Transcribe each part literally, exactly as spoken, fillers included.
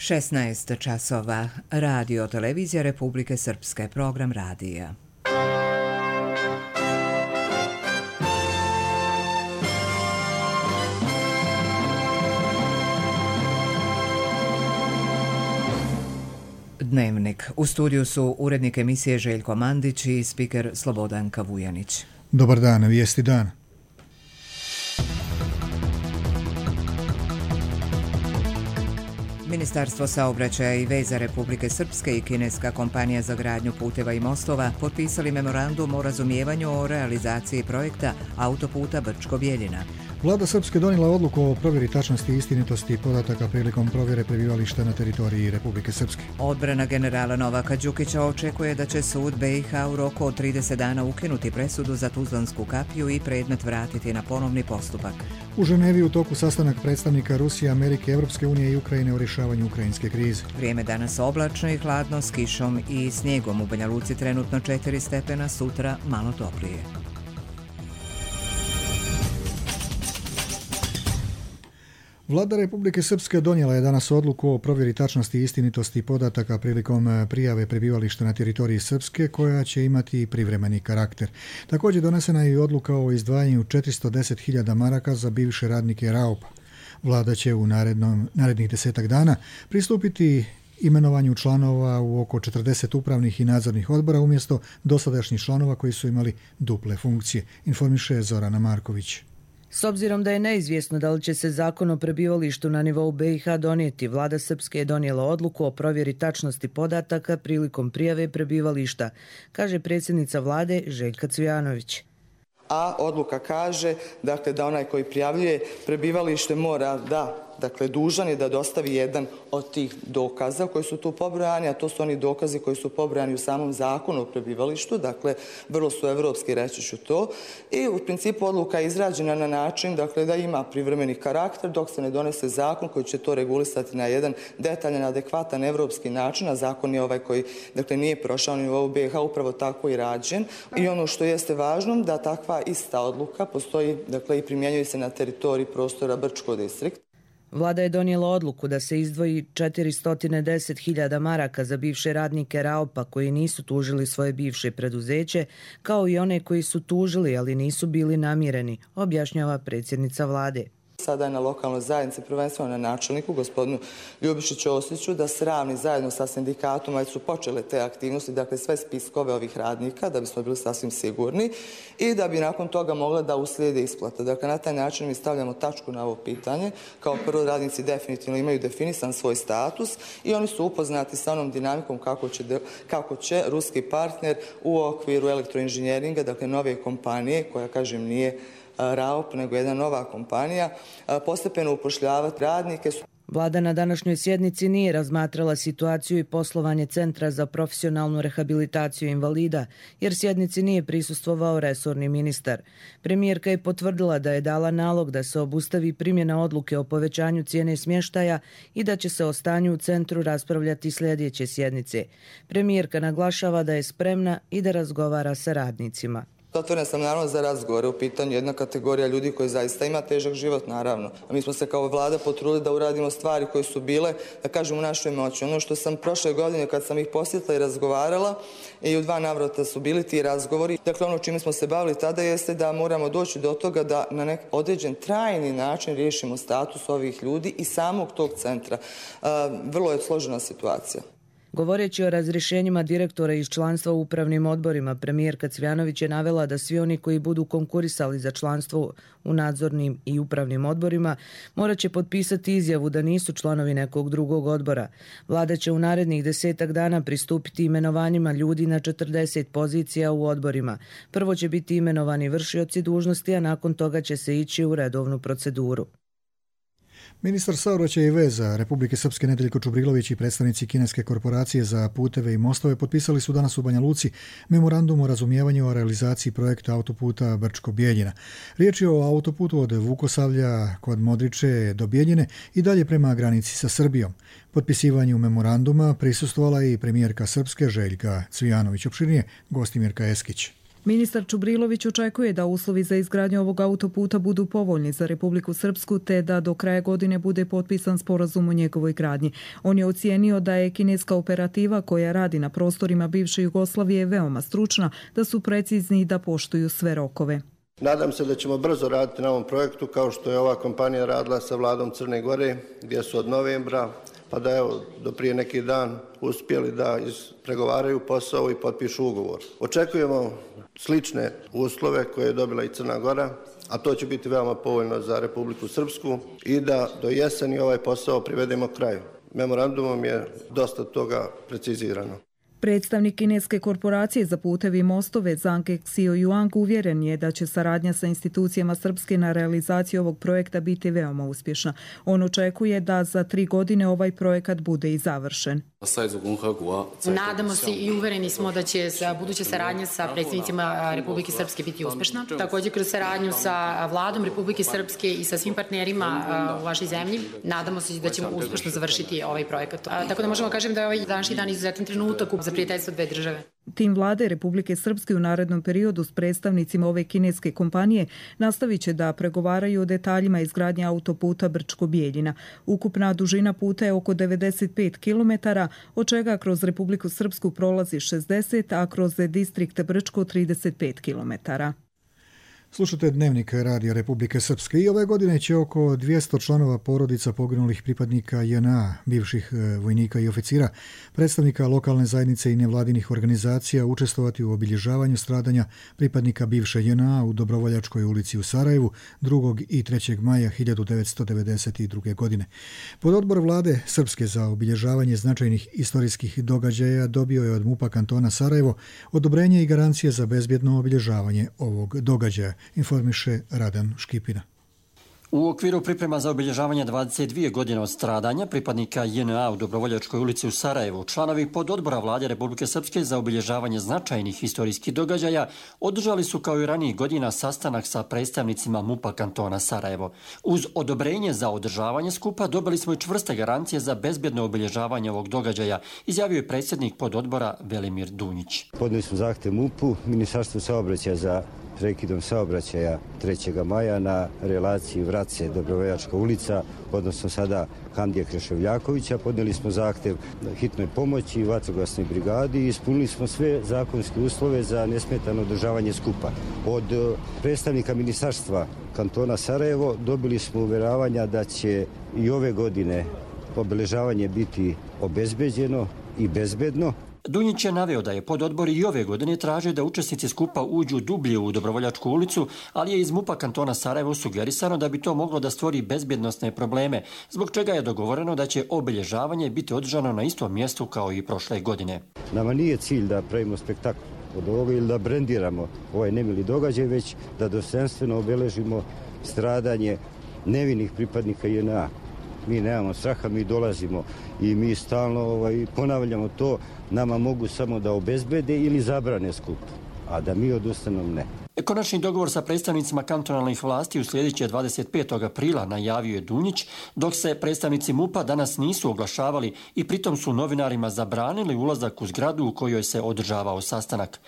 šesnaest časova. Radio televizija Republike Srpske. Program radija. Dnevnik. U studiju su urednik emisije Željko Mandić i spiker Slobodanka Vujanić. Dobar dan, vijesti dan. Ministarstvo saobraćaja i veza Republike Srpske i kineska kompanija za gradnju puteva i mostova potpisali memorandum o razumijevanju o realizaciji projekta autoputa Brčko-Bjeljina. Vlada Srpske donijela odluku o provjeri tačnosti i istinitosti podataka prilikom provjere prebivališta na teritoriji Republike Srpske. Odbrana generala Novaka Đukića očekuje da će sud B i H u roku od trideset dana ukinuti presudu za Tuzlansku kapiju i predmet vratiti na ponovni postupak. U Ženevi u toku sastanak predstavnika Rusije, Amerike, Evropske unije i Ukrajine o rješavanju ukrajinske krize. Vrijeme danas oblačno i hladno s kišom i snijegom. U Banja Luci trenutno četiri stepena, sutra malo toplije. Vlada Republike Srpske donijela je danas odluku o provjeri tačnosti i istinitosti podataka prilikom prijave prebivališta na teritoriji Srpske, koja će imati privremeni karakter. Također donesena je i odluka o izdvajanju četiristo deset hiljada maraka za bivše radnike Raupa. Vlada će u narednom, narednih desetak dana pristupiti imenovanju članova u oko četrdeset upravnih i nadzornih odbora umjesto dosadašnjih članova koji su imali duple funkcije, informiše Zorana Marković. S obzirom da je neizvjesno da li će se zakon o prebivalištu na nivou B i H donijeti, Vlada Srpske je donijela odluku o provjeri tačnosti podataka prilikom prijave prebivališta, kaže predsjednica Vlade Željka Cvijanović. A odluka kaže dakle, da onaj koji prijavljuje prebivalište mora da, dakle dužan je da dostavi jedan od tih dokaza koji su tu pobrojani, a to su oni dokazi koji su pobrojani u samom zakonu o prebivalištu, dakle vrlo su evropski, reći ću to. I u principu odluka je izrađena na način dakle, da ima privremeni karakter dok se ne donese zakon koji će to regulisati na jedan detaljan, adekvatan evropski način, a zakon je ovaj koji dakle, nije prošao na nivou B i H, upravo tako i rađen. I ono što jeste važno, da takva ista odluka postoji dakle, i primjenjuje se na teritoriji prostora Brčko distrikt. Vlada je donijela odluku da se izdvoji četiristo deset hiljada maraka za bivše radnike Raupa koji nisu tužili svoje bivše preduzeće, kao i one koji su tužili, ali nisu bili namireni, objašnjava predsjednica Vlade. Sada je na lokalnoj zajednici, prvenstveno na načelniku, gospodinu Ljubišiću Osliću, da sravni zajedno sa sindikatom, već su počele te aktivnosti, dakle sve spiskove ovih radnika, da bismo bili sasvim sigurni i da bi nakon toga mogla da uslijede isplata. Dakle, na taj način mi stavljamo tačku na ovo pitanje. Kao prvo, radnici definitivno imaju definisan svoj status i oni su upoznati sa onom dinamikom kako će, kako će ruski partner u okviru elektroinženjeringa, dakle nove kompanije, koja, kažem, nije Raup, nego jedna nova kompanija, postepeno upošljavati radnike. Vlada na današnjoj sjednici nije razmatrala situaciju i poslovanje Centra za profesionalnu rehabilitaciju invalida, jer sjednici nije prisustvovao resorni ministar. Premijerka je potvrdila da je dala nalog da se obustavi primjena odluke o povećanju cijene smještaja i da će se o stanju u centru raspravljati sljedeće sjednice. Premijerka naglašava da je spremna i da razgovara sa radnicima. Otvorena sam naravno za razgovore, u pitanju jedna kategorija ljudi koji zaista ima težak život, naravno. A mi smo se kao vlada potrudili da uradimo stvari koje su bile, da kažem, u našoj moći. Ono što sam prošle godine kad sam ih posjetila i razgovarala, i u dva navrata su bili ti razgovori. Dakle, ono čime smo se bavili tada jeste da moramo doći do toga da na nek određen trajni način riješimo status ovih ljudi i samog tog centra. Vrlo je složena situacija. Govoreći o razrješenjima direktora iz članstva u upravnim odborima, premijerka Cvijanović je navela da svi oni koji budu konkurisali za članstvo u nadzornim i upravnim odborima morat će potpisati izjavu da nisu članovi nekog drugog odbora. Vlada će u narednih desetak dana pristupiti imenovanjima ljudi na četrdeset pozicija u odborima. Prvo će biti imenovani vršioci dužnosti, a nakon toga će se ići u redovnu proceduru. Ministar saobraćaja i veza Republike Srpske Nedeljko Čubrilović i predstavnici kineske korporacije za puteve i mostove potpisali su danas u Banja Luci memorandum o razumijevanju o realizaciji projekta autoputa Brčko-Bjeljina. Riječ je o autoputu od Vukosavlja kod Modriče do Bjeljine i dalje prema granici sa Srbijom. Potpisivanju memoranduma prisustvovala i premijerka Srpske Željka Cvijanović. Opširnije Gostimirka Eskić. Ministar Čubrilović očekuje da uslovi za izgradnju ovog autoputa budu povoljni za Republiku Srpsku te da do kraja godine bude potpisan sporazum o njegovoj gradnji. On je ocijenio da je kineska operativa koja radi na prostorima bivše Jugoslavije veoma stručna, da su precizni i da poštuju sve rokove. Nadam se da ćemo brzo raditi na ovom projektu kao što je ova kompanija radila sa vladom Crne Gore, gdje su od novembra pa da evo do prije neki dan uspjeli da ispregovaraju posao i potpišu ugovor. Očekujemo slične uslove koje je dobila i Crna Gora, a to će biti veoma povoljno za Republiku Srpsku i da do jeseni ovaj posao privedemo kraju. Memorandumom je dosta toga precizirano. Predstavnik kineske korporacije za putevi i mostove Zhang Xiaoyuan uvjeren je da će saradnja sa institucijama Srpske na realizaciji ovog projekta biti veoma uspješna. On očekuje da za tri godine ovaj projekat bude i završen. Nadamo se i uvereni smo da će buduća saradnja sa predstavnicima Republike Srpske biti uspešna. Također kroz saradnju sa vladom Republike Srpske i sa svim partnerima u vašoj zemlji, nadamo se da ćemo uspešno završiti ovaj projekat. Tako da možemo kažem da je ovaj današnji dan izuzetan trenutak za prijateljstvo dve države. Tim vlade Republike Srpske u narednom periodu s predstavnicima ove kineske kompanije nastavit će da pregovaraju o detaljima izgradnje autoputa Brčko-Bijeljina. Ukupna dužina puta je oko devedeset pet kilometara, od čega kroz Republiku Srpsku prolazi šezdeset, a kroz distrikt Brčko trideset pet kilometara. Slušate Dnevnik Radija Republike Srpske i ove godine će oko dvjesto članova porodica poginulih pripadnika J N A, bivših vojnika i oficira, predstavnika lokalne zajednice i nevladinih organizacija učestvovati u obilježavanju stradanja pripadnika bivše J N A u Dobrovoljačkoj ulici u Sarajevu drugog i trećeg maja hiljadu devetsto devedeset druge. godine. Pododbor vlade Srpske za obilježavanje značajnih istorijskih događaja dobio je od MUP-a kantona Sarajevo odobrenje i garancije za bezbjedno obilježavanje ovog događaja, informiše Radan Škipina. U okviru priprema za obilježavanje dvadeset dvije godine od stradanja pripadnika J N A u Dobrovoljačkoj ulici u Sarajevu, članovi pododbora vlade Republike Srpske za obilježavanje značajnih historijskih događaja održali su kao i ranijih godina sastanak sa predstavnicima MUP-a kantona Sarajevo. Uz odobrenje za održavanje skupa dobili smo i čvrste garancije za bezbjedno obilježavanje ovog događaja, izjavio je predsjednik pododbora Velimir Dunjić. Podnijeli smo zahtjev MUP-u, Ministarstvu saobraćaja za prekidom saobraćaja trećeg maja na relaciji Vrace Dobrovoljačka ulica, odnosno sada Hamdija Kreševljakovića. Podnijeli smo zahtjev hitnoj pomoći i vatrogasnoj brigadi i ispunili smo sve zakonske uslove za nesmetano održavanje skupa. Od predstavnika Ministarstva kantona Sarajevo dobili smo uvjeravanja da će i ove godine obeležavanje biti obezbeđeno i bezbedno. Dunjić je naveo da je pododbor i ove godine tražio da učesnici skupa uđu dublje u Dobrovoljačku ulicu, ali je iz MUP-a kantona Sarajevo sugerisano da bi to moglo da stvori bezbjednosne probleme, zbog čega je dogovoreno da će obilježavanje biti održano na istom mjestu kao i prošle godine. Nama nije cilj da pravimo spektakl od ovoga ili da brendiramo ovaj nemili događaj, već da dostojanstveno obeležimo stradanje nevinih pripadnika J N A. Mi nemamo straha, mi dolazimo i mi stalno ovaj, ponavljamo to, nama mogu samo da obezbede ili zabrane skup, a da mi odustanemo ne. Konačni dogovor sa predstavnicima kantonalnih vlasti uslijedit će dvadeset petog aprila, najavio je Dunjić, dok se predstavnici MUP-a danas nisu oglašavali i pritom su novinarima zabranili ulazak u zgradu u kojoj se održavao sastanak.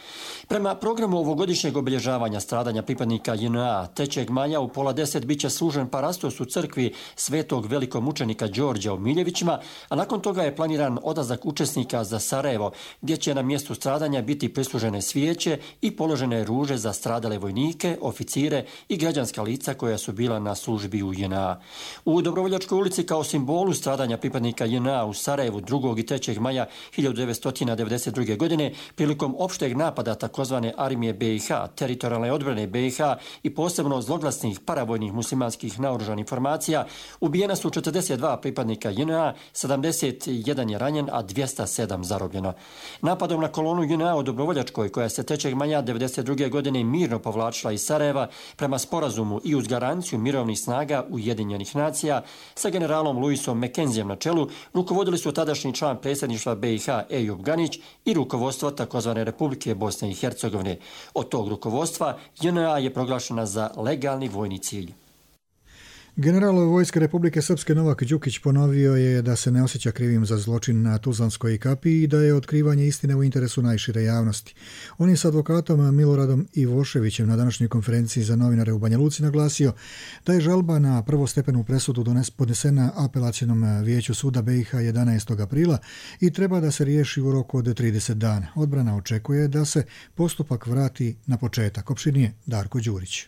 Prema programu ovogodišnjeg obilježavanja stradanja pripadnika J N A, trećeg maja u pola deset biće služen parastos u crkvi svetog velikomučenika Đorđa u Miljevićima, a nakon toga je planiran odlazak učesnika za Sarajevo, gdje će na mjestu stradanja biti prislužene svijeće i položene ruže za stradanje vojnike, oficire i građanska lica koja su bila na službi u J N A. U Dobrovoljačkoj ulici kao simbolu stradanja pripadnika J N A u Sarajevu drugog i trećeg maja hiljadu devetsto devedeset druge. godine prilikom opšteg napada takozvane armije B i H, teritorijalne odbrane B i H i posebno zloglasnih paravojnih muslimanskih naoružanih formacija, ubijena su četrdeset dva pripadnika J N A, sedamdeset jedan je ranjen, a dvjesto sedam zarobljeno. Napadom na kolonu J N A u Dobrovoljačkoj, koja se trećeg maja devedeset druge. godine mirno povlačila iz Sarajeva prema sporazumu i uz garanciju mirovnih snaga Ujedinjenih nacija sa generalom Luisom Mekenzijem na čelu, rukovodili su tadašnji član predsjedništva B i H Ejub Ganić i rukovodstvo takozvane Republike Bosne i Hercegovine. Od tog rukovodstva J N A je proglašena za legalni vojni cilj. General Vojske Republike Srpske Novak Đukić ponovio je da se ne osjeća krivim za zločin na Tuzlanskoj kapiji i da je otkrivanje istine u interesu najšire javnosti. On je s advokatom Miloradom Ivoševićem na današnjoj konferenciji za novinare u Banja Luci naglasio da je žalba na prvostepenu presudu podnesena apelacionom vijeću suda B i H jedanaestog aprila i treba da se riješi u roku od trideset dana. Odbrana očekuje da se postupak vrati na početak. Opširnije Darko Đurić.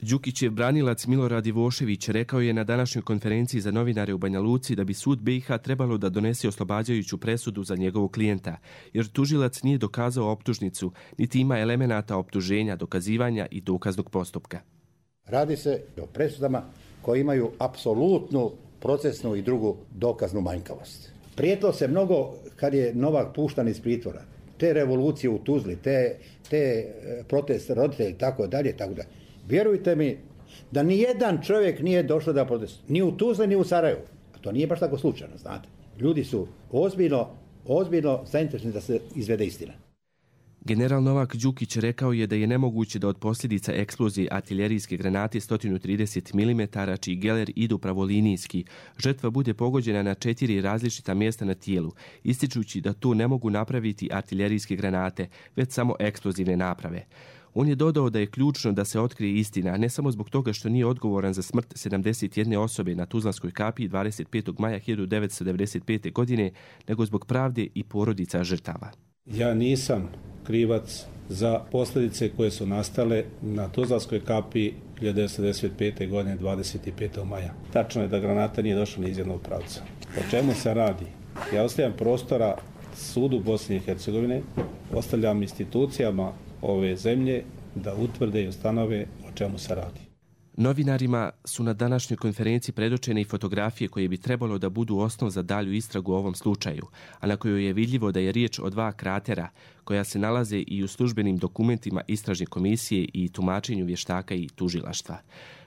Đukićev branilac Milorad Ivošević rekao je na današnjoj konferenciji za novinare u Banja Luci da bi sud B i H trebalo da donese oslobađajuću presudu za njegovog klijenta, jer tužilac nije dokazao optužnicu, niti ima elemenata optuženja, dokazivanja i dokaznog postupka. Radi se o presudama koje imaju apsolutnu procesnu i drugu dokaznu manjkavost. Prijetilo se mnogo kad je Novak puštan iz pritvora. Te revolucije u Tuzli, te, te protest roditelji, tako dalje, tako dalje. Vjerujte mi da ni jedan čovjek nije došao da protestuje, ni u Tuzli, ni u Sarajevu. A to nije baš tako slučajno, znate. Ljudi su ozbiljno, ozbiljno zainteresni da se izvede istina. General Novak Đukić rekao je da je nemoguće da od posljedica eksplozije artiljerijske granate sto trideset milimetara, čiji geler idu pravolinijski, žrtva bude pogođena na četiri različita mjesta na tijelu, ističući da to ne mogu napraviti artiljerijske granate, već samo eksplozivne naprave. On je dodao da je ključno da se otkrije istina, ne samo zbog toga što nije odgovoran za smrt sedamdeset jedne osobe na Tuzlanskoj kapiji dvadeset petog maja hiljadu devetsto devedeset pete. godine, nego zbog pravde i porodica žrtava. Ja nisam krivac za posljedice koje su nastale na Tuzlanskoj kapiji hiljadu devetsto devedeset pete. godine dvadeset petog maja. Tačno je da granata nije došla ni iz jednog pravca. O čemu se radi? Ja ostavljam prostora sudu Bosne i Hercegovine, ostavljam institucijama ove zemlje da utvrde i ustanove o čemu se radi. Novinarima su na današnjoj konferenciji predočene i fotografije koje bi trebalo da budu osnov za dalju istragu u ovom slučaju, a na kojoj je vidljivo da je riječ o dva kratera koja se nalaze i u službenim dokumentima istražne komisije i tumačenju vještaka i tužilaštva.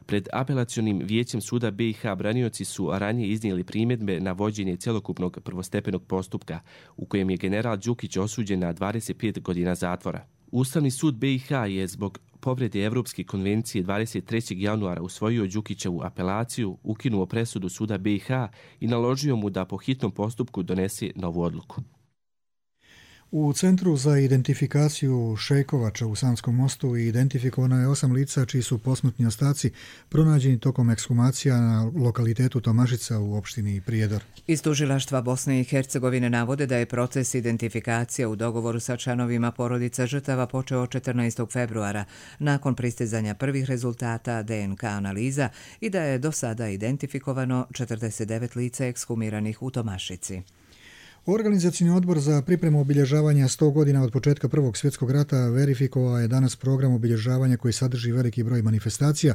Pred apelacionim vijećem suda B i H branioci su ranije iznijeli primjedbe na vođenje cjelokupnog prvostepenog postupka, u kojem je general Đukić osuđen na dvadeset pet godina zatvora. Ustavni sud B i H je zbog povrede Evropske konvencije dvadeset trećeg januara usvojio Đukićevu apelaciju, ukinuo presudu suda B i H i naložio mu da po hitnom postupku donese novu odluku. U Centru za identifikaciju Šejkovača u Sanskom mostu identifikovano je osam lica čiji su posmrtni ostaci pronađeni tokom ekshumacija na lokalitetu Tomašica u opštini Prijedor. Iz tužilaštva Bosne i Hercegovine navode da je proces identifikacije u dogovoru sa članovima porodica žrtava počeo četrnaestog februara nakon pristizanja prvih rezultata D N K analiza i da je do sada identifikovano četrdeset devet lica ekshumiranih u Tomašici. Organizacioni odbor za pripremu obilježavanja sto godina od početka Prvog svjetskog rata verifikovao je danas program obilježavanja koji sadrži veliki broj manifestacija,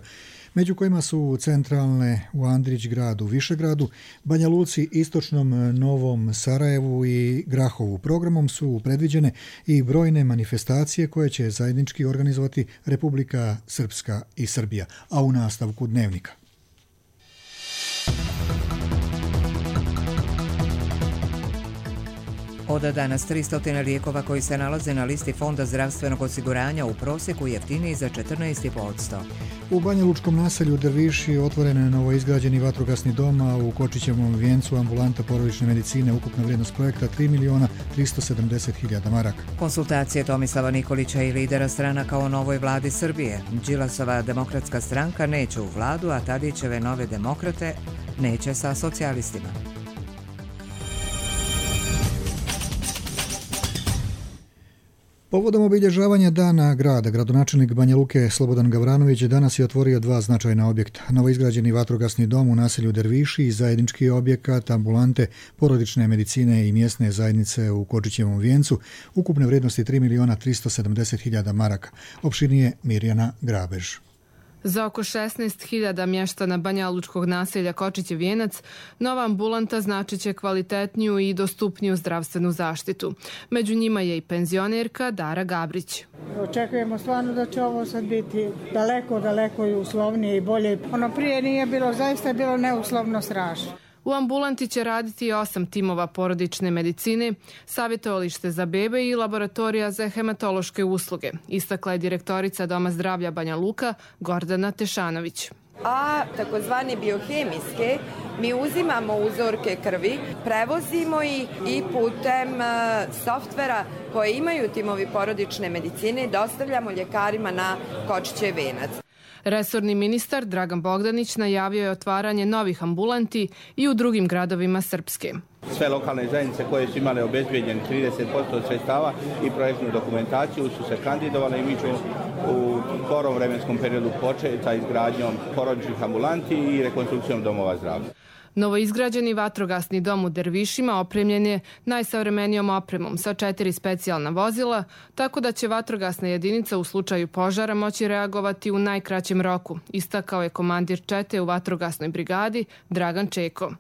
među kojima su centralne u Andrić gradu, Višegradu, Banja Luci, Istočnom Novom Sarajevu i Grahovu. Programom su predviđene i brojne manifestacije koje će zajednički organizovati Republika Srpska i Srbija, a u nastavku dnevnika. Od danas tristo lijekova koji se nalaze na listi Fonda zdravstvenog osiguranja u prosjeku jeftiniji za četrnaest zarez pet posto. U Banja Lučkom naselju Drviši otvoren je novoizgrađeni vatrogasni dom, a u Kočićevom vijencu ambulanta porodične medicine, ukupna vrijednost projekta tri miliona tristo sedamdeset hiljada maraka. Konsultacije Tomislava Nikolića i lidera stranaka o novoj vladi Srbije. Đilasova demokratska stranka neće u vladu, a Tadićeve nove demokrate neće sa socijalistima. Povodom obilježavanja Dana grada, gradonačelnik Banja Luke Slobodan Gavranović danas je otvorio dva značajna objekta. Novoizgrađeni vatrogasni dom u naselju Derviši i zajednički objekat ambulante porodične medicine i mjesne zajednice u Kočićevom vijencu, ukupne vrijednosti tri miliona tristo sedamdeset hiljada maraka. Opširnije Mirjana Grabež. Za oko šesnaest hiljada mještana Banja Lučkog naselja Kočićev vijenac, nova ambulanta značiće kvalitetniju i dostupniju zdravstvenu zaštitu. Među njima je i penzionerka Dara Gabrić. Očekujemo stvarno da će ovo sad biti daleko, daleko i uslovnije i bolje. Ono prije nije bilo, zaista je bilo neuslovno strašno. U ambulanti će raditi osam timova porodične medicine, savjetovalište za bebe i laboratorija za hematološke usluge, istakla je direktorica Doma zdravlja Banja Luka Gordana Tešanović. a takozvane biohemijske mi uzimamo uzorke krvi, prevozimo ih i putem softvera koje imaju timovi porodične medicine dostavljamo ljekarima na Kočićev venac. Resorni ministar Dragan Bogdanić najavio je otvaranje novih ambulanti i u drugim gradovima Srpske. Sve lokalne zajednice koje su imale obezbeđen trideset posto sredstava i projektnu dokumentaciju su se kandidovale i mi ćemo u skorom vremenskom periodu početi sa izgradnjom porodičnih ambulanti i rekonstrukcijom domova zdravlja. Novoizgrađeni vatrogasni dom u Dervišima opremljen je najsavremenijom opremom sa četiri specijalna vozila, tako da će vatrogasna jedinica u slučaju požara moći reagovati u najkraćem roku, istakao je komandir čete u vatrogasnoj brigadi Dragan Čeko.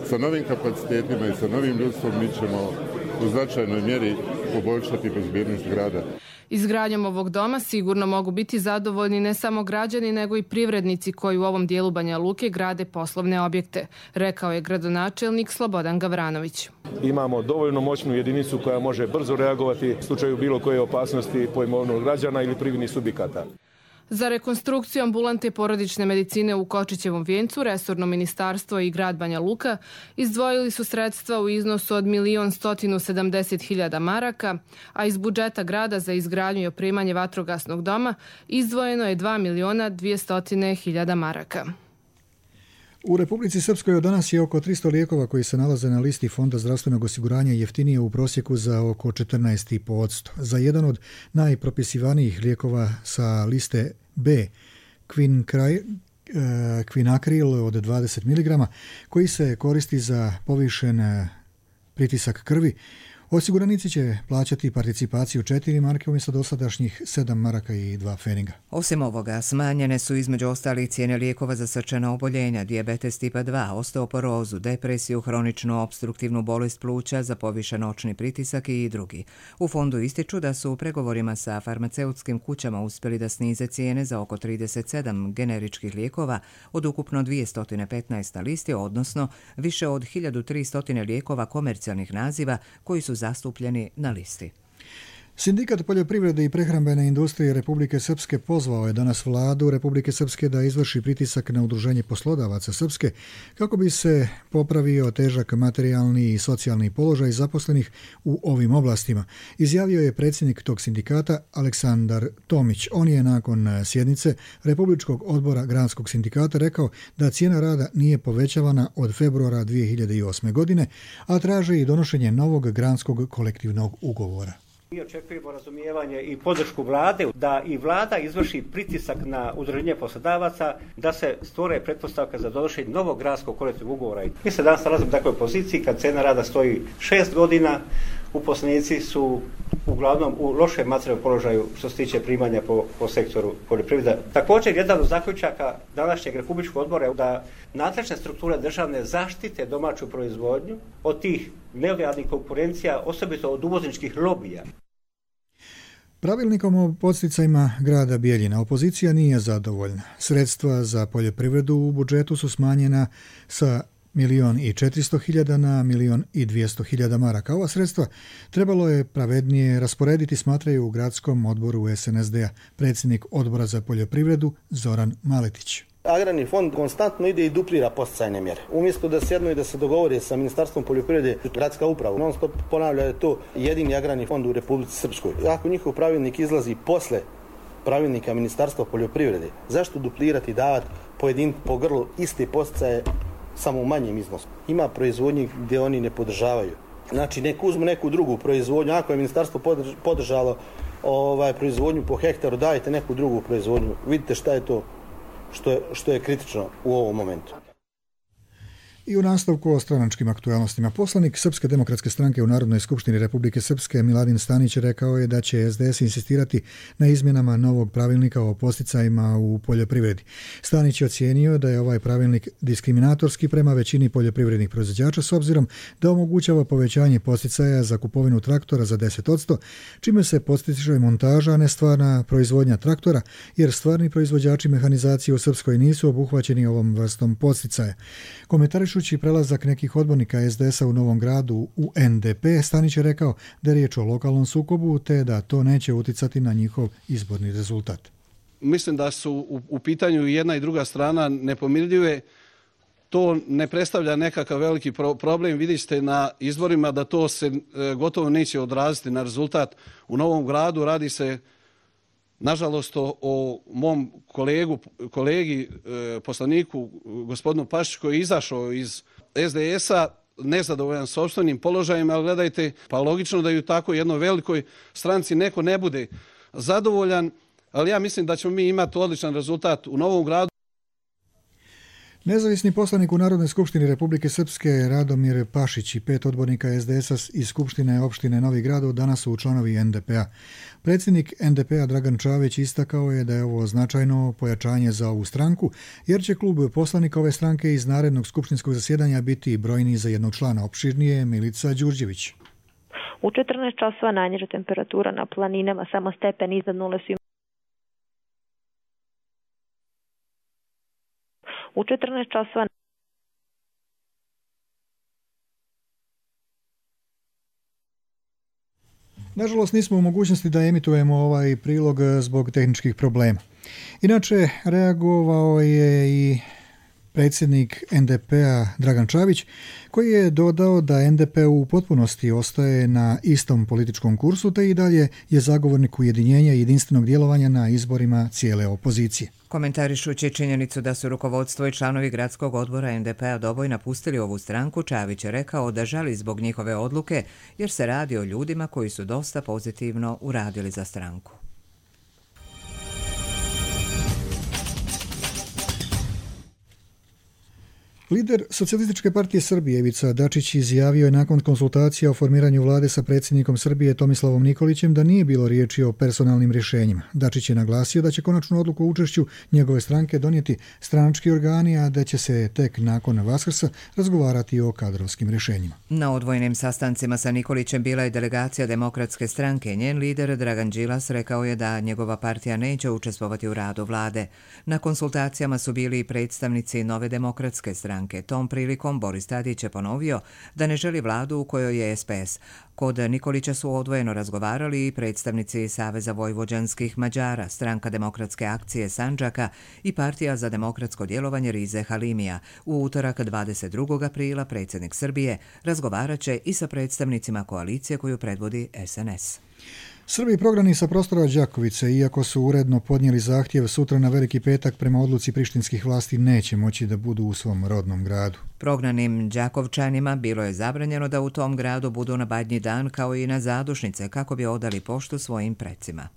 Sa novim kapacitetima i sa novim ljudstvom mi ćemo u značajnoj mjeri poboljšati bezbjednost grada. Izgradnjom ovog doma sigurno mogu biti zadovoljni ne samo građani, nego i privrednici koji u ovom dijelu Banja Luke grade poslovne objekte, rekao je gradonačelnik Slobodan Gavranović. Imamo dovoljno moćnu jedinicu koja može brzo reagovati u slučaju bilo koje opasnosti po imovinu građana ili privrednih subjekata. Za rekonstrukciju ambulante porodične medicine u Kočićevom vijencu resorno ministarstvo i grad Banja Luka izdvojili su sredstva u iznosu od milion stotinu sedamdeset hiljada maraka, a iz budžeta grada za izgradnju i opremanje vatrogasnog doma izdvojeno je dva miliona dvjesto hiljada maraka. U Republici Srpskoj od danas je oko tristo lijekova koji se nalaze na listi Fonda zdravstvenog osiguranja jeftinije u prosjeku za oko četrnaest zarez pet posto. Za jedan od najpropisivanijih lijekova sa liste B, Kvinakril od dvadeset miligrama, koji se koristi za povišen pritisak krvi, osiguranici će plaćati participaciju četiri marke umjesto dosadašnjih sedam maraka i dva feninga. Osim ovoga, smanjene su između ostalih cijene lijekova za srčana oboljenja, dijabetes tipa dva, osteoporozu, depresiju, hroničnu opstruktivnu bolest pluća, za povišen očni pritisak i drugi. U fondu ističu da su u pregovorima sa farmaceutskim kućama uspjeli da snize cijene za oko trideset sedam generičkih lijekova od ukupno dvjesto petnaest na listi, odnosno više od hiljadu tristo lijekova komercijalnih naziva koji su zastupljeni na listi. Sindikat poljoprivrede i prehrambene industrije Republike Srpske pozvao je danas vladu Republike Srpske da izvrši pritisak na udruženje poslodavaca Srpske kako bi se popravio težak materijalni i socijalni položaj zaposlenih u ovim oblastima, izjavio je predsjednik tog sindikata Aleksandar Tomić. On je nakon sjednice Republičkog odbora granskog sindikata rekao da cijena rada nije povećavana od februara dvije hiljade osme. godine, a traže i donošenje novog granskog kolektivnog ugovora. Mi očekujemo razumijevanje i podršku vlade, da i vlada izvrši pritisak na udruženje poslodavaca da se stvore pretpostavka za donošenje novog granskog kolektivnog ugovora. Mi se danas nalazimo u takvoj poziciji kad cena rada stoji šest godina, uposlenici su uglavnom u lošem materijalnom položaju što se tiče primanja po, po sektoru poljoprivrede. Također, jedan od zaključaka današnjeg Republičkog odbora je da nadležne strukture državne zaštite domaću proizvodnju od tih nelojalnih konkurencija, osobito od uvozničkih lobija. Pravilnikom o podsticajima grada Bijeljina opozicija nije zadovoljna. Sredstva za poljoprivredu u budžetu su smanjena sa milion i četiristo hiljada na milion i dvjesto hiljada maraka. Ova sredstva trebalo je pravednije rasporediti, smatraju u gradskom odboru es en es de-a predsjednik odbora za poljoprivredu Zoran Maletić. Agrarni fond konstantno ide i duplira podsticajne mjere. Umjesto da sjednu i da se dogovori sa Ministarstvom poljoprivrede, gradska uprava non stop ponavlja da je to jedini agrarni fond u Republici Srpskoj. Ako njihov pravilnik izlazi posle pravilnika Ministarstva poljoprivrede, zašto duplirati i davati pojedin po grlu iste podsticaje samo u manjem iznosu? Ima proizvodnji gdje oni ne podržavaju. Znači, nek uzmu neku drugu proizvodnju. Ako je ministarstvo podržalo ovaj, proizvodnju po hektaru, dajte neku drugu proizvodnju. Vidite šta je to što je, što je kritično u ovom momentu. I u nastavku o stranačkim aktualnostima. Poslanik Srpske demokratske stranke u Narodnoj skupštini Republike Srpske Miladin Stanić rekao je da će es de es insistirati na izmjenama novog pravilnika o podsticajima u poljoprivredi. Stanić je ocijenio da je ovaj pravilnik diskriminatorski prema većini poljoprivrednih proizvođača s obzirom da omogućava povećanje podsticaja za kupovinu traktora za deset posto, čime se podstiče montaža, a ne stvarna proizvodnja traktora, jer stvarni proizvođači mehanizacije u Srpskoj nisu obuhvaćeni ovom vrstom podsticaja. Komentarišu prelazak nekih odbornika es de es-a u Novom Gradu u en de pe, Stanić je rekao da je riječ o lokalnom sukobu te da to neće uticati na njihov izborni rezultat. mislim da su u, u pitanju jedna i druga strana nepomirljive. To ne predstavlja nekakav veliki pro- problem. Vidite na izborima da to se e, gotovo neće odraziti na rezultat u Novom Gradu. Radi se, nažalost, o, o mom kolegu, kolegi, e, poslaniku, gospodinu Pašiću, koji je izašao iz es de es-a, nezadovoljan sopstvenim položajem, ali gledajte, pa logično da i u tako jednoj velikoj stranci neko ne bude zadovoljan, ali ja mislim da ćemo mi imati odličan rezultat u Novom Gradu. Nezavisni poslanik u Narodnoj skupštini Republike Srpske Radomir Pašić i pet odbornika es de es-a iz Skupštine opštine Novi Grad danas su članovi en de pe-a. Predsjednik en de pe-a Dragan Čavić istakao je da je ovo značajno pojačanje za ovu stranku, jer će klub poslanika ove stranke iz narednog skupštinskog zasjedanja biti brojniji za jednog člana. Opširnije Milica Đurđević. U četrnaest časova najniža temperatura na planinama, samo stepen iznad nule su. U četrnaest časova Nažalost, nismo u mogućnosti da emitujemo ovaj prilog zbog tehničkih problema. Inače, reagovao je i predsjednik en de pe-a Dragan Čavić, koji je dodao da en de pe u potpunosti ostaje na istom političkom kursu, te i dalje je zagovornik ujedinjenja i jedinstvenog djelovanja na izborima cijele opozicije. Komentarišući činjenicu da su rukovodstvo i članovi gradskog odbora en de pe-a Doboj napustili ovu stranku, Čavić je rekao da žali zbog njihove odluke, jer se radi o ljudima koji su dosta pozitivno uradili za stranku. Lider Socijalističke partije Srbije Ivica Dačić izjavio je nakon konsultacija o formiranju vlade sa predsjednikom Srbije Tomislavom Nikolićem da nije bilo riječi o personalnim rješenjima. Dačić je naglasio da će konačnu odluku o učešću njegove stranke donijeti stranački organi, a da će se tek nakon Vaskrsa razgovarati o kadrovskim rješenjima. Na odvojenim sastancima sa Nikolićem bila je delegacija Demokratske stranke. Njen lider Dragan Đilas rekao je da njegova partija neće učestvovati u radu vlade. Na konsultacijama su bili i predstavnici Nove demokratske stranke. Tom prilikom Boris Tadić je ponovio da ne želi vladu u kojoj je es pe es. Kod Nikolića su odvojeno razgovarali i predstavnici Saveza vojvođanskih Mađara, Stranka demokratske akcije Sandžaka i Partija za demokratsko djelovanje Rize Halimija. U utorak dvadeset drugog aprila predsjednik Srbije razgovarat će i sa predstavnicima koalicije koju predvodi es en es. Srbi prognani sa prostora Đakovice, iako su uredno podnijeli zahtjev, sutra na Veliki petak prema odluci prištinskih vlasti neće moći da budu u svom rodnom gradu. Prognanim Đakovčanima bilo je zabranjeno da u tom gradu budu na Badnji dan kao i na zadušnice kako bi odali poštu svojim precima.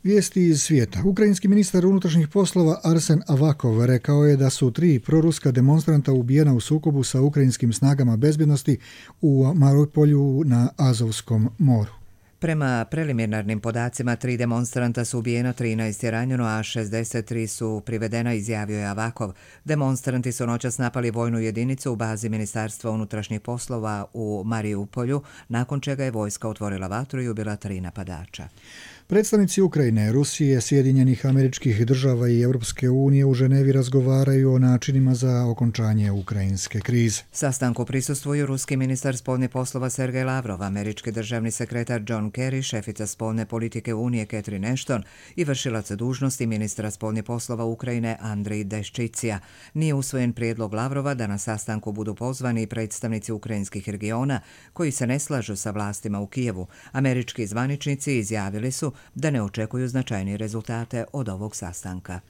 Vijesti iz svijeta. Ukrajinski ministar unutrašnjih poslova Arsen Avakov rekao je da su tri proruska demonstranta ubijena u sukobu sa ukrajinskim snagama bezbjednosti u Mariupolju na Azovskom moru. Prema preliminarnim podacima, tri demonstranta su ubijeno, trinaest je ranjeno, a šezdeset tri su privedena, izjavio je Avakov. Demonstranti su noćas napali vojnu jedinicu u bazi Ministarstva unutrašnjih poslova u Mariupolju, nakon čega je vojska otvorila vatru i ubila tri napadača. Predstavnici Ukrajine, Rusije, Sjedinjenih Američkih Država i Europske unije u Ženevi razgovaraju o načinima za okončanje ukrajinske krize. Sastanku prisustvuju ruski ministar spoljnih poslova Sergej Lavrov, američki državni sekretar John Kerry, šefica spoljne politike Unije Catherine Ashton i vršilac dužnosti ministra spoljnih poslova Ukrajine Andrej Deščicija. Nije usvojen prijedlog Lavrova da na sastanku budu pozvani predstavnici ukrajinskih regiona koji se ne slažu sa vlastima u Kijevu. Američki zvaničnici izjavili su da ne očekuju značajnije rezultate od ovog sastanka.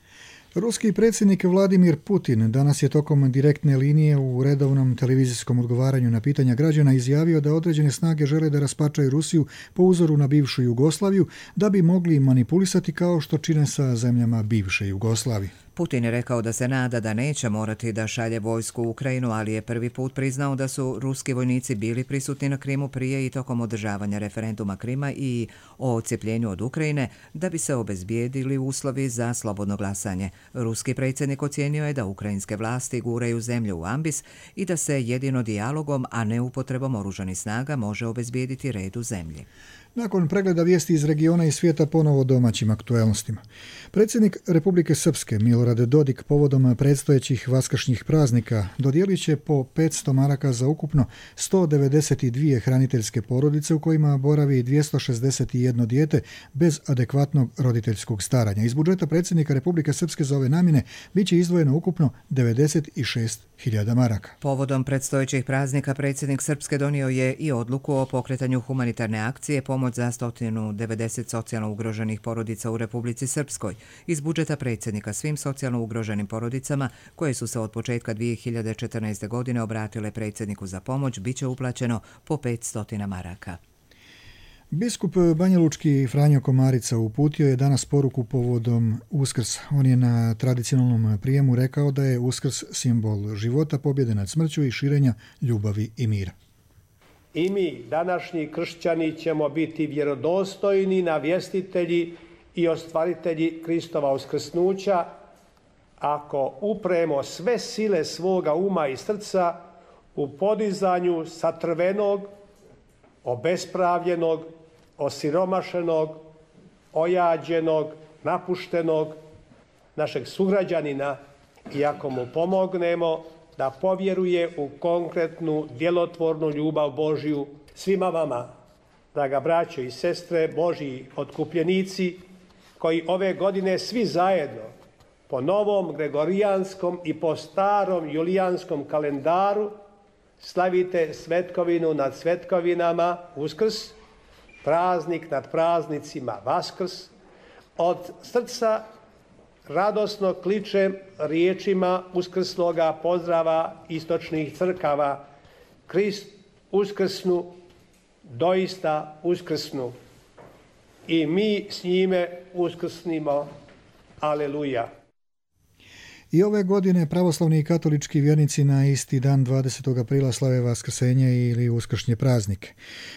Ruski predsjednik Vladimir Putin danas je tokom direktne linije u redovnom televizijskom odgovaranju na pitanja građana izjavio da određene snage žele da raspačaju Rusiju po uzoru na bivšu Jugoslaviju da bi mogli manipulisati kao što čine sa zemljama bivše Jugoslavije. Putin je rekao da se nada da neće morati da šalje vojsku u Ukrajinu, ali je prvi put priznao da su ruski vojnici bili prisutni na Krimu prije i tokom održavanja referenduma Krima i o odcijepljenju od Ukrajine da bi se obezbijedili uslovi za slobodno glasanje. Ruski predsjednik ocijenio je da ukrajinske vlasti guraju zemlju u ambis i da se jedino dijalogom, a ne upotrebom oružanih snaga može obezbijediti red u zemlji. Nakon pregleda vijesti iz regiona i svijeta ponovo domaćim aktuelnostima. Predsjednik Republike Srpske Milorad Milorad Dodik povodom predstojećih vaskršnjih praznika dodijelit će po petsto maraka za ukupno sto devedeset dvije hraniteljske porodice u kojima boravi dvjesto šezdeset jedno dijete bez adekvatnog roditeljskog staranja. Iz budžeta predsjednika Republike Srpske za ove namjene bit će izdvojeno ukupno devedeset šest hiljada maraka. Povodom predstojećih praznika predsjednik Srpske donio je i odluku o pokretanju humanitarne akcije pomoć za sto devedeset socijalno ugroženih porodica u Republici Srpskoj. Iz budžeta predsjednika svim socijalno ugroženim porodicama koje su se od početka dvije hiljade četrnaeste. godine obratile predsjedniku za pomoć bit će uplaćeno po petsto maraka. Biskup banjalučki Franjo Komarica uputio je danas poruku povodom Uskrsa. On je na tradicionalnom prijemu rekao da je Uskrs simbol života, pobjede nad smrću i širenja ljubavi i mira. I mi, današnji kršćani, ćemo biti vjerodostojni navjestitelji i ostvaritelji Kristova uskrsnuća ako upremo sve sile svoga uma i srca u podizanju satrvenog, obespravljenog, osiromašenog, ojađenog, napuštenog našeg sugrađanina i ako mu pomognemo da povjeruje u konkretnu, djelotvornu ljubav Božju. Svima vama, draga braćo i sestre, Božji otkupljenici, koji ove godine svi zajedno po novom gregorijanskom i po starom julijanskom kalendaru slavite svetkovinu nad svetkovinama, Uskrs, praznik nad praznicima, Vaskrs, od srca radosno kličem riječima uskrsloga pozdrava istočnih crkava: Krist uskrsnu, doista uskrsnu. I mi s njime uskrsnimo. Aleluja. I ove godine pravoslavni i katolički vjernici na isti dan dvadesetog aprila slave Vaskrsenje ili uskršnje praznike.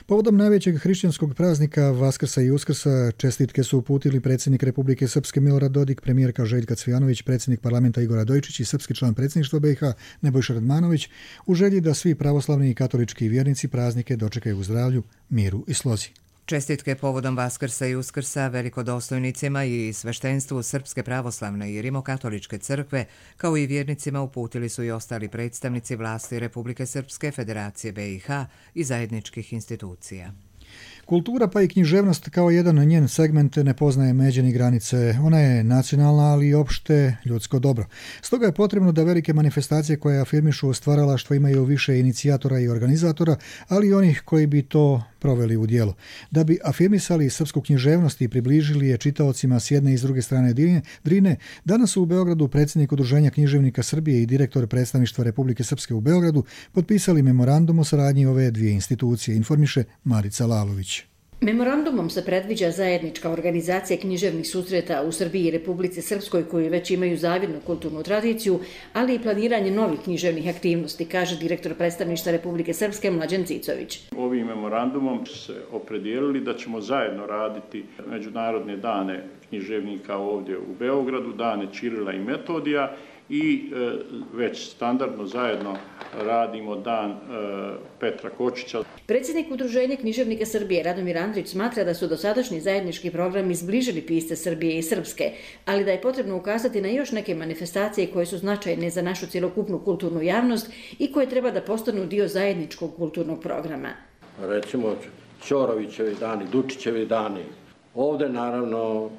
Povodom najvećeg hrišćanskog praznika Vaskrsa i Uskrsa čestitke su uputili predsjednik Republike Srpske Milorad Dodik, premijerka Željka Cvijanović, predsjednik parlamenta Igor Adojčić i srpski član predsjedništva B i H Nebojša Radmanović u želji da svi pravoslavni i katolički vjernici praznike dočekaju u zdravlju, miru i slozi. Čestitke povodom Vaskrsa i Uskrsa velikodostojnicima i sveštenstvu Srpske pravoslavne i rimokatoličke crkve, kao i vjernicima, uputili su i ostali predstavnici vlasti Republike Srpske, Federacije B i H i zajedničkih institucija. Kultura pa i književnost kao jedan njen segment ne poznaje međe ni granice. Ona je nacionalna, ali i opšte ljudsko dobro. Stoga je potrebno da velike manifestacije koje afirmišu stvaralaštvo imaju više inicijatora i organizatora, ali i onih koji bi to proveli u djelo. Da bi afirmisali srpsku književnost i približili je čitaocima s jedne i s druge strane Drine, danas su u Beogradu predsjednik Udruženja književnika Srbije i direktor predstavništva Republike Srpske u Beogradu potpisali memorandum o saradnji ove dvije institucije, informiše Marica Lalović. Memorandumom se predviđa zajednička organizacija književnih susreta u Srbiji i Republici Srpskoj koji već imaju zavidnu kulturnu tradiciju, ali i planiranje novih književnih aktivnosti, kaže direktor predstavništva Republike Srpske Mlađan Cicović. Ovim memorandumom se opredijelili da ćemo zajedno raditi međunarodne dane književnika ovdje u Beogradu, dane Ćirila i Metodija, i e, već standardno zajedno radimo dan e, Petra Kočića. Predsjednik Udruženja književnika Srbije Radomir Andrić smatra da su dosadašnji zajednički programi zbližili pisce Srbije i Srpske, ali da je potrebno ukazati na još neke manifestacije koje su značajne za našu cjelokupnu kulturnu javnost i koje treba da postanu dio zajedničkog kulturnog programa. Recimo Ćorovićevi dani, Dučićevi dani. Ovdje naravno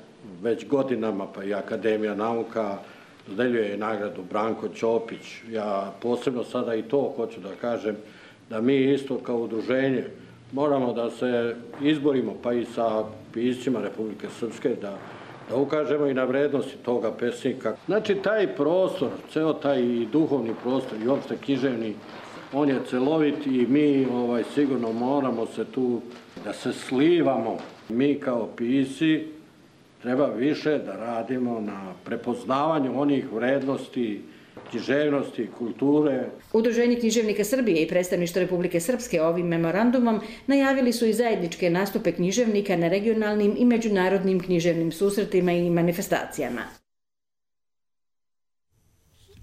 već godinama pa i Akademija nauka dodeljuje nagradu Branko Ćopić. Ja posebno sada i to hoću da kažem, da mi isto kao udruženje moramo da se izborimo pa i sa piscima Republike Srpske, da, da ukažemo i na vrednosti toga pesnika. Znači taj prostor, ceo taj duhovni prostor i opšte književni, on je celovit i mi ovaj, sigurno moramo se tu da se slivamo. Mi kao pisci treba više da radimo na prepoznavanju onih vrednosti, književnosti, kulture. Udruženje književnika Srbije i predstavništvo Republike Srpske ovim memorandumom najavili su i zajedničke nastupe književnika na regionalnim i međunarodnim književnim susretima i manifestacijama.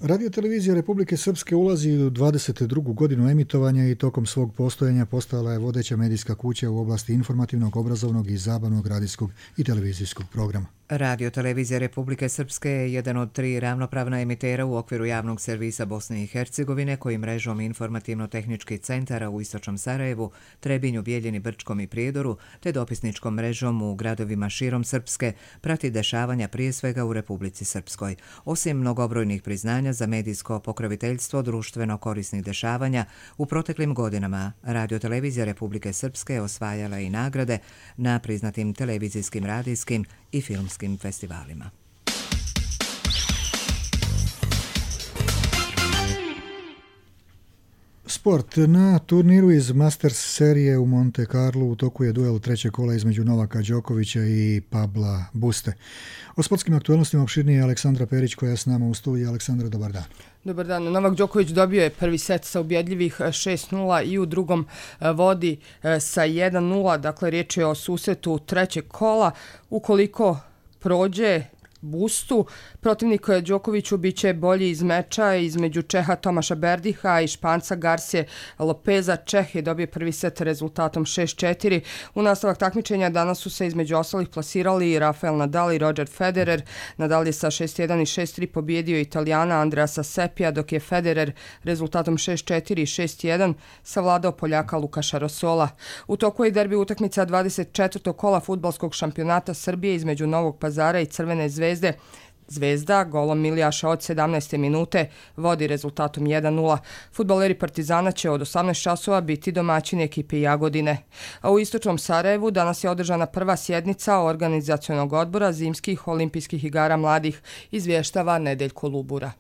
Radio-televizija Republike Srpske ulazi u dvadeset drugu godinu emitovanja i tokom svog postojanja postala je vodeća medijska kuća u oblasti informativnog, obrazovnog i zabavnog radijskog i televizijskog programa. Radio televizija Republike Srpske je jedan od tri ravnopravna emitera u okviru javnog servisa Bosne i Hercegovine koji mrežom informativno-tehničkih centara u Istočnom Sarajevu, Trebinju, Bijeljini, Brčkom i Prijedoru te dopisničkom mrežom u gradovima širom Srpske prati dešavanja prije svega u Republici Srpskoj. Osim mnogobrojnih priznanja za medijsko pokroviteljstvo društveno korisnih dešavanja, u proteklim godinama Radio televizija Republike Srpske osvajala i nagrade na priznatim televizijskim, radijskim i filmskim festivalima. Sport. Na turniru iz Masters serije u Monte Carlo u toku je duel trećeg kola između Novaka Đokovića i Pabla Buste. O sportskim aktualnostima opširnije je Aleksandra Perić koja je s nama u studiju. Aleksandra, dobar dan. Dobar dan. Novak Đoković dobio je prvi set sa ubjedljivih šest nula i u drugom vodi sa jedan nula. Dakle, riječ je o susretu trećeg kola. Ukoliko prođe Bustu, protivnik Đokoviću biće bolji iz meča između Čeha Tomaša Berdiha i Španca Garcije Lopeza. Čeh je dobio prvi set rezultatom šest četiri. U nastavak takmičenja danas su se između ostalih plasirali Rafael Nadal i Roger Federer. Nadal je sa šest jedan i šest tri pobjedio Italijana Andreasa Sepija, dok je Federer rezultatom šest četiri i šest jedan savladao Poljaka Lukaša Rosola. U toku je derbi utakmica dvadeset četvrtog kola fudbalskog šampionata Srbije između Novog Pazara i Crvene Zvezde. Zvezda golom Milijaša od sedamnaeste minute vodi rezultatom jedan nula. Fudbaleri Partizana će od osamnaest časova biti domaćini ekipe Jagodine. A u Istočnom Sarajevu danas je održana prva sjednica organizacionog odbora Zimskih olimpijskih igara mladih, izvještava Nedeljko Lubura.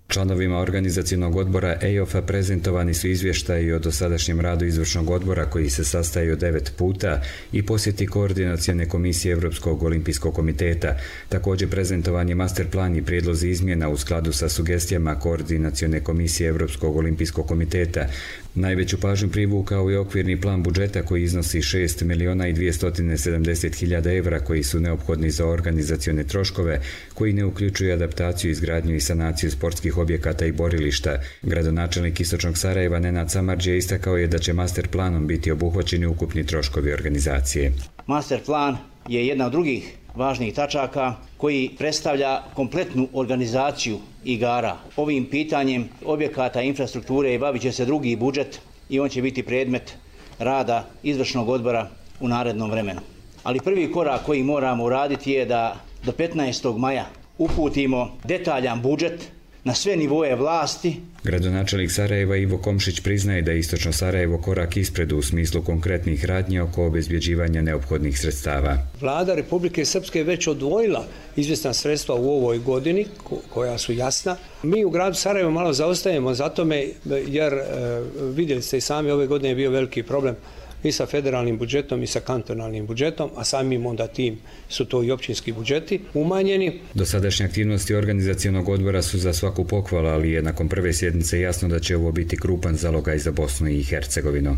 Članovima organizacionog odbora E I O F-a prezentovani su izvještaji o dosadašnjem radu izvršnog odbora koji se sastaje od devet puta i posjeti koordinacione komisije Europskog olimpijskog komiteta. Također prezentovan je master plan i prijedlozi izmjena u skladu sa sugestijama koordinacione komisije Europskog olimpijskog komiteta. Najveću pažnju privukao je okvirni plan budžeta koji iznosi šest miliona i dvjesto sedamdeset hiljada evra koji su neophodni za organizacione troškove koji ne uključuju adaptaciju, izgradnju i sanaciju sportskih objekata i borilišta. Gradonačelnik Istočnog Sarajeva Nenad Samardžić istakao je da će master planom biti obuhvaćeni ukupni troškovi organizacije. Master plan je jedna od drugih važnih tačaka koji predstavlja kompletnu organizaciju igara. Ovim pitanjem objekata infrastrukture bavit će se drugi budžet i on će biti predmet rada izvršnog odbora u narednom vremenu. Ali prvi korak koji moramo uraditi je da do petnaestog maja uputimo detaljan budžet na sve nivoje vlasti. Gradonačelnik Sarajeva Ivo Komšić priznaje da je Istočno Sarajevo korak ispred u smislu konkretnih radnji oko obezbjeđivanja neophodnih sredstava. Vlada Republike Srpske je već odvojila izvjesna sredstva u ovoj godini koja su jasna. Mi u gradu Sarajevo malo zaostajemo za tome jer vidjeli ste i sami ove godine je bio veliki problem i sa federalnim budžetom i sa kantonalnim budžetom, a samim onda tim su to i općinski budžeti umanjeni. Dosadašnje aktivnosti organizacionog odbora su za svaku pohvalu, ali je nakon prve sjednice jasno da će ovo biti krupan zalogaj za Bosnu i Hercegovinu.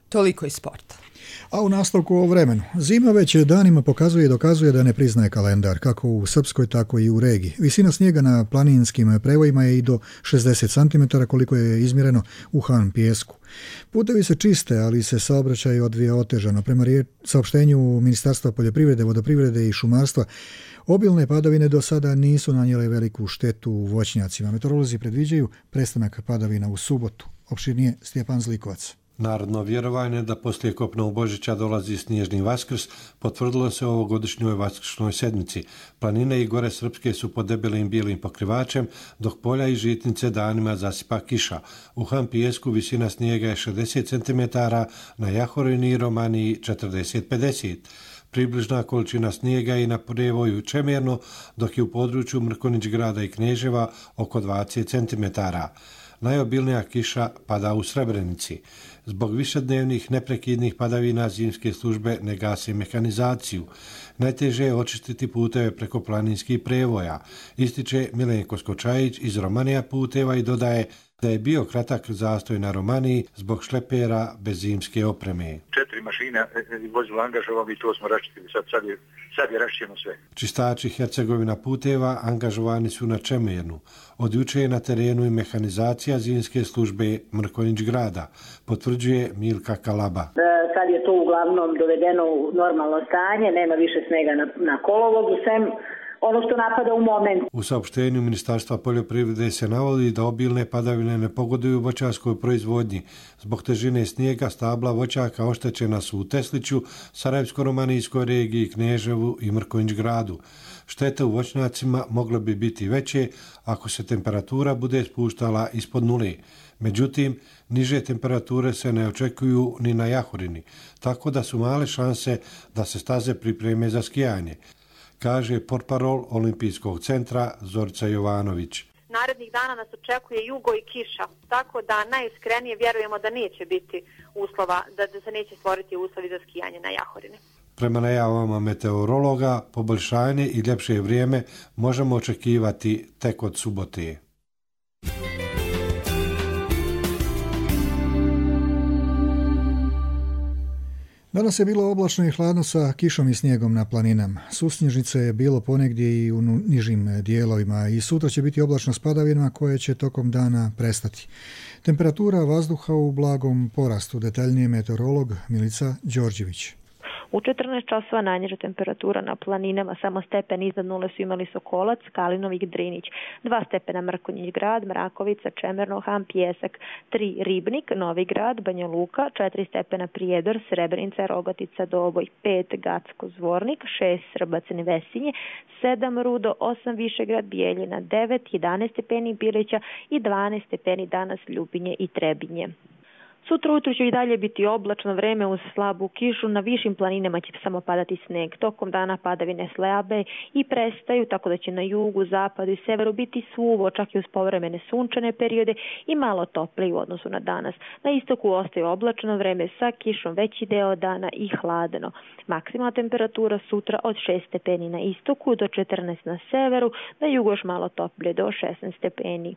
Toliko iz sporta. A u nastavku o vremenu. Zima već danima pokazuje i dokazuje da ne priznaje kalendar, kako u Srpskoj, tako i u regiji. Visina snijega na planinskim prevojima je i do šezdeset centimetara koliko je izmjereno u Han Pijesku. Putevi se čiste, ali se saobraćaj odvija otežano. Prema saopštenju Ministarstva poljoprivrede, vodoprivrede i šumarstva, obilne padavine do sada nisu nanijele veliku štetu u voćnjacima. Meteorolozi predviđaju prestanak padavina u subotu. Opširnije Stjepan Zlikovac. Narodno vjerovanje da poslije kopnog Božića dolazi snježni Vaskrs potvrdilo se ovogodišnjoj Vaskršnoj sedmici. Planine i gore Srpske su pod debelim bijelim pokrivačem, dok polja i žitnice danima zasipa kiša. U Han Pijesku visina snijega je šezdeset centimetara, na Jahorini i Romaniji četrdeset do pedeset. Približna količina snijega i na prevoju Čemerno, dok je u području Mrkonić grada i Kneževa oko dvadeset centimetara. Najobilnija kiša pada u Srebrenici. Zbog višednevnih neprekidnih padavina zimske službe ne gase mehanizaciju. Najteže je očistiti puteve preko planinskih prevoja, ističe Milenko Skočajić iz Romanija puteva i dodaje da je bio kratak zastoj na Romaniji zbog šlepera bez zimske opreme. Četiri mašine mašina i vozilo angažovano i to smo raščistili. Sad, sad je, sad je raščišćeno sve. Čistači Hercegovina puteva angažovani su na Čemernu. Od juče je na terenu i mehanizacija zimske službe Mrkonjić grada, potvrđuje Milka Kalaba. Sad je to uglavnom dovedeno u normalno stanje, nema više snega na, na kolovozu, sem ono što napada u moment. U saopštenju Ministarstva poljoprivrede se navodi da obilne padavine ne pogoduju voćarskoj proizvodnji. Zbog težine snijega stabla voćaka oštećena su u Tesliću, Sarajevsko-romanijskoj regiji, Kneževu i Mrkonjić gradu. Štete u voćnjacima mogle bi biti veće ako se temperatura bude spuštala ispod nule. Međutim, niže temperature se ne očekuju ni na Jahorini, tako da su male šanse da se staze pripreme za skijanje, kaže portparol Olimpijskog centra Zorica Jovanović. Narednih dana nas očekuje jugo i kiša, tako da najiskrenije vjerujemo da neće biti uslova, da, da se neće stvoriti uslovi za skijanje na Jahorini. Prema najavama meteorologa, poboljšanje i ljepše vrijeme možemo očekivati tek od subote. Danas je bilo oblačno i hladno sa kišom i snijegom na planinama. Susnježnice je bilo ponegdje i u nižim dijelovima i sutra će biti oblačno s padavinama koje će tokom dana prestati. Temperatura vazduha u blagom porastu, detaljnije meteorolog Milica Đorđević. U četrnaest časova najniža temperatura na planinama, samo stepen iznad nule su imali Sokolac, Kalinovik, Drinić, dva stepena Mrkonjić grad, Mrakovica, Čemerno, Han, Pjesak, tri Ribnik, Novi grad, Banja Luka, četiri stepena Prijedor, Srebrenica, Rogatica, Doboj, pet Gacko, Zvornik, šest Srbacin, Vesinje, sedam Rudo, osam Višegrad, Bijeljina, devet, jedanaest stepeni Bilića i dvanaest stepeni danas Ljubinje i Trebinje. Sutra ujutro će i dalje biti oblačno vreme uz slabu kišu, na višim planinama će samo padati sneg. Tokom dana padavine slabe i prestaju, tako da će na jugu, zapadu i severu biti suvo, čak i uz povremene sunčane periode i malo toplije u odnosu na danas. Na istoku ostaje oblačno vreme sa kišom veći deo dana i hladno. Maksimalna temperatura sutra od šest stepeni na istoku do četrnaest na severu, na jugu još malo toplije do šesnaest stepeni.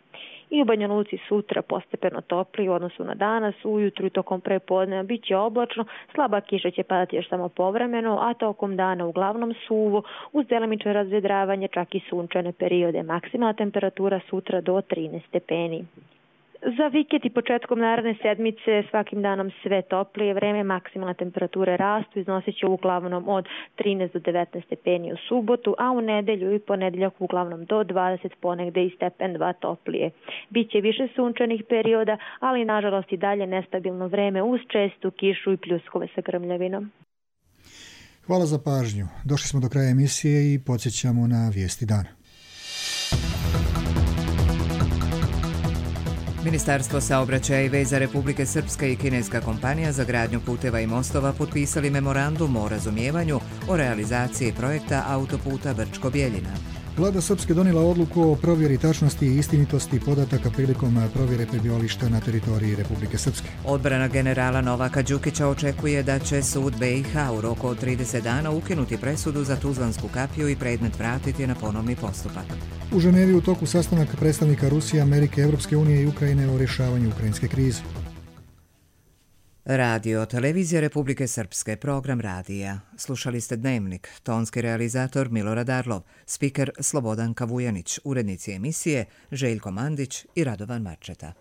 I u Banja Luci sutra postepeno toplije u odnosu na danas, ujutru i tokom prepodneva bit će oblačno, slaba kiša će padati još samo povremeno, a tokom dana uglavnom suvo, uz delimično razvedravanje, čak i sunčane periode. Maksimalna temperatura sutra do trinaest stepeni. Za vikend i početkom naredne sedmice svakim danom sve toplije vreme, maksimalne temperature rastu, iznosit će uglavnom od trinaest do devetnaest stepeni u subotu, a u nedelju i ponedeljak uglavnom do dvadeset, ponegde i stepen dva toplije. Biće više sunčanih perioda, ali nažalost i dalje nestabilno vreme uz čestu kišu i pljuskove sa grmljavinom. Hvala za pažnju. Došli smo do kraja emisije i podsjećamo na vijesti dana. Ministarstvo saobraćaja i veza Republike Srpske i kineska kompanija za gradnju puteva i mostova potpisali memorandum o razumijevanju o realizaciji projekta autoputa Brčko-Bjeljina. Vlada Srpske donijela odluku o provjeri tačnosti i istinitosti podataka prilikom provjere prebivališta na teritoriji Republike Srpske. Odbrana generala Novaka Đukića očekuje da će sud be i ha u roku od trideset dana ukinuti presudu za Tuzlansku kapiju i predmet vratiti na ponovni postupak. U Ženevi u toku sastanak predstavnika Rusije, Amerike, Evropske unije i Ukrajine o rješavanju ukrajinske krize. Radio, televizija Republike Srpske, program radija. Slušali ste Dnevnik, tonski realizator Milorad Arlov, spiker Slobodan Kavujanić, urednici emisije Željko Mandić i Radovan Marčeta.